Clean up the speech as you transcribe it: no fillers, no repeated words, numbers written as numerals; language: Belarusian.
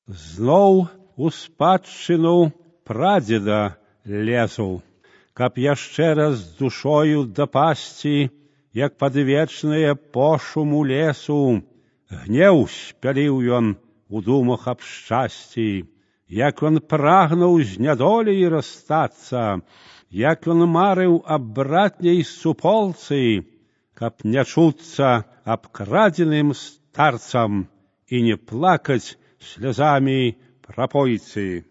Зноў у спадчыну прадзеда лезу, каб яшчэ раз з душою дапасці, як пад вечнае пошуму лесу. Гнеў спяліў ён у думах аб шчасці, як ён прагнуў з нядоляй расстацца, як ён марыў аб братняй суполцы, каб не чуцца абкрадзеным старцам і не плакаць слязамі прапойцы.